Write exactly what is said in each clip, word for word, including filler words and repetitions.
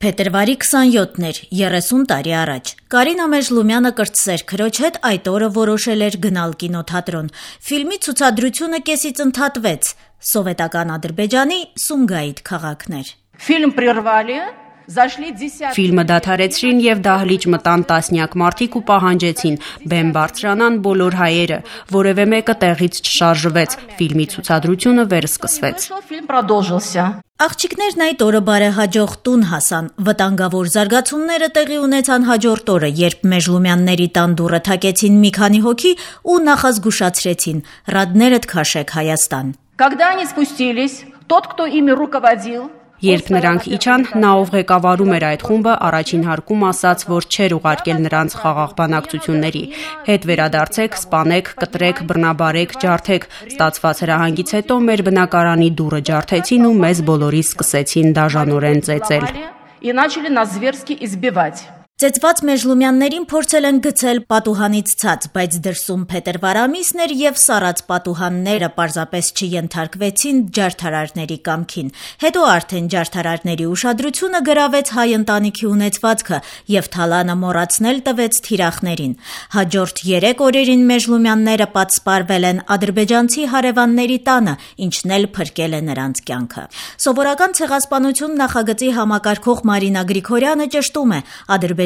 Փետրվարի քսանյոթն էր, երեսուն տարի առաջ։ Կարինա Մեժլումյանը կրտսեր քրոջ հետ այդ օրը որոշել էր գնալ կինոթատրոն։ Ֆիլմի ցուցադրությունը կեսից ընդհատվեց։ Սովետական Ադրբեջանի Սումգայիթ քաղաքն էր։ Ֆիլմ прервали. Ֆիլմը դադարեցրին եւ դահլիճ մտան տասնյակ մարդիկ ու պահանջեցին բեմ բարձրանան բոլոր հայերը, որևէ մեկը տեղից չշարժվեց, ֆիլմի ցուցադրությունը վերսկսվեց։ Աղջիկներն այդ օրը բարեհաջող տուն հասան, վտանգավոր զարգացումները տեղի ունեցան հաջորդ օրը, երբ Մեժլումյանների տան դուռը թակեցին մի քանի հոգի ու նախազգուշացրեցին՝ «Ռադներդ քաշեք Հայաստան»։ Когда они спустились, тот, кто ими руководил, Երբ նրանք իջան, նա ով ղեկավարում էր այդ խումբը, առաջին հարկում ասաց, որ չէր ուղարկել նրանց խաղաղ բանակցությունների։ Հետ վերադարձեք, սպանեք, կտրեք, բռնաբարեք, ջարդեք։ Ստացված հրահանգից հետո մեր բնակարանի դուռը ջարդեցին ու մեզ բոլորիս սկսեցին դաժանորեն ծեծել։ и начали нас зверски избивать. Ծեծված Մեժլումյաններին փորձել են գցել պատուհանից ցած, բայց դրսում փետրվար ամիսն էր եւ սառած պատուհանները պարզապես չենթարկվեցին ջարդարարների կամքին։ Հետո արդեն ջարդարարների ուշադրությունը գրավեց հայ ընտանիքի ունեցվածքը եւ թալանը մոռացնել տվեց թիրախներին։ Հաջորդ երեք օրերին Մեժլումյանները պատսպարվել են ադրբեջանցի հարևանների տանը, ինչն էլ փրկել է նրանց կյանքը։ Սովորական ցեղասպանություն նախագծի համակարգող Մարինա Գրիգորյանը ճշտում է,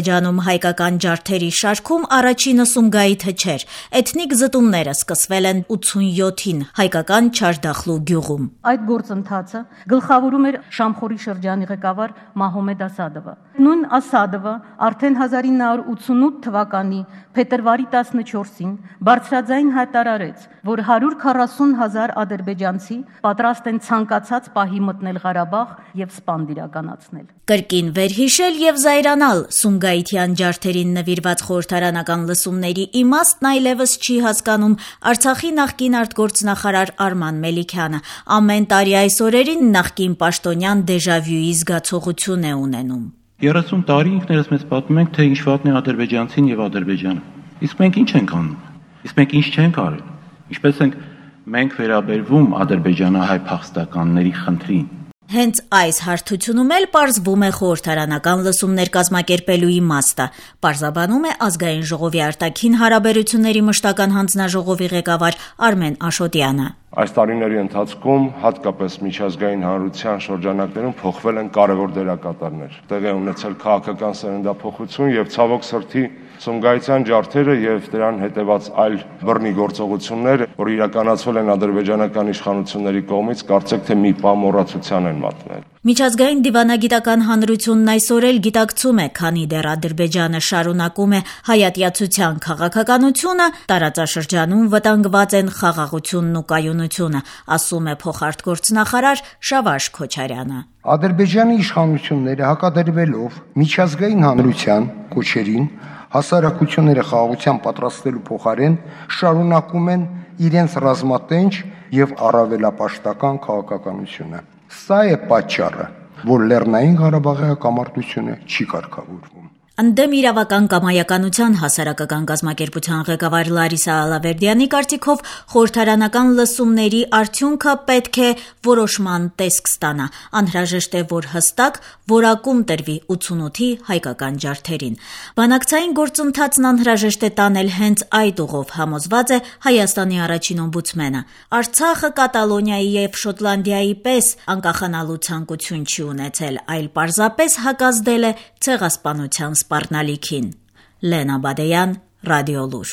Ադրբեջանում հայկական ջարդերի շարքում առաջինը Սումգայիթը չէր։ Էթնիկ զտումները սկսվել են ութսունյոթին հայկական Չարդախլու գյուղում։ Այդ գործընթացը գլխավորում էր Շամխորի շրջանի ղեկավար Մահոմեդ Ասադովը։ Նույն Ասադովը արդեն հազար ինը հարյուր ութսունութ թվականի փետրվարի տասնչորսին բարձրաձայն հայտարարեց, որ հարյուր քառասուն հազար ադրբեջանցի պատրաստ են ցանկացած պահի մտնել Ղարաբաղ եւ սպանդ իրականացնել։ Կրկին վերհիշել եւ զայրանալ Սումգայիթյան ջարդերին նվիրված խորհրդարանական լսումների իմաստն այլևս չի հասկանում Արցախի նախկին արտգործնախարար Արման Մելիքյանը։ Ամեն տարի այս օրերին նախկին պաշտոնյան դեժավյուի զգացողություն է ունենում։ երեսուն տարի ինքներս մեզ պատմում ենք, թե ինչ վատն է ադրբեջանցին եւ Ադրբեջանը։ Իսկ մենք ինչ ենք անում։ Իսկ մենք ինչ չենք արել։ Ինչպես ենք մենք վերաբերվում ադրբեջանահայ փախստականների խնդրին։ Հենց այս հարթությունում էլ պարզվում է խորհրդարանական լսումներ կազմակերպելու իմաստը, պարզաբանում է Ազգային ժողովի արտաքին հարաբերությունների մշտական հանձնաժողովի ղեկավար Արմեն Աշոտյանը։ Այս տարիների ընթացքում հատկապես միջազգային հանրության շրջանակներում փոխվել են կարևոր դերակատարներ։ Տեղի է ունեցել քաղաքական սերնդափոխություն եւ ցավոք սրտի Սումգայիթյան ջարդերը եւ դրան հետեւած այլ բռնի գործողություններ, որ իրականացվել են ադրբեջանական իշխանությունների կողմից, կարծեք թե մի պահ մոռացության են մատնել։ Միջազգային դիվանագիտական հանրությունն այսօր էլ գիտակցում է, քանի դեռ Ադրբեջանը շարունակում է հայատյացության քաղաքականությունը, տարածաշրջանում վտանգված են խաղաղությունն ու կայունությունը, ասում է փոխարտգործնախարար Շավարժ Քոչարյանը։ Ադրբեջանի իշխանությունները հակադրվելով միջազգային հանրության կոչերին հասարակությունները խաղաղության պատրաստելու փոխարեն շարունակում են իրենց ռազմատենչ եւ առավելապաշտական քաղաքականությունը։ Սա է պատճառը, որ Լեռնային Ղարաբաղի հակամարտությունը չի կարգավորվում։ Ընդդեմ իրավական կամայականության հասարակական կազմակերպության ղեկավար Լարիսա Ալավերդյանի կարծիքով խորհրդարանական լսումների արդյունքը պետք է որոշման տեսք ստանա։ Անհրաժեշտ է, որ հստակ որակում տրվի ութսունութի հայկական ջարդերին։ Բանակցային գործընթացն անհրաժեշտ է տանել հենց այդ ուղով, համոզված է Հայաստանի առաջին օմբուդսմենը։ Արցախը Կատալոնիայի եւ Շոտլանդիայի պես անկախանալու ցանկություն չի ունեցել, այլ պարզապես հակազդել է ցեղասպանության սպառնալիքին։ Լենա Բադեյան, Ռադիոլուր։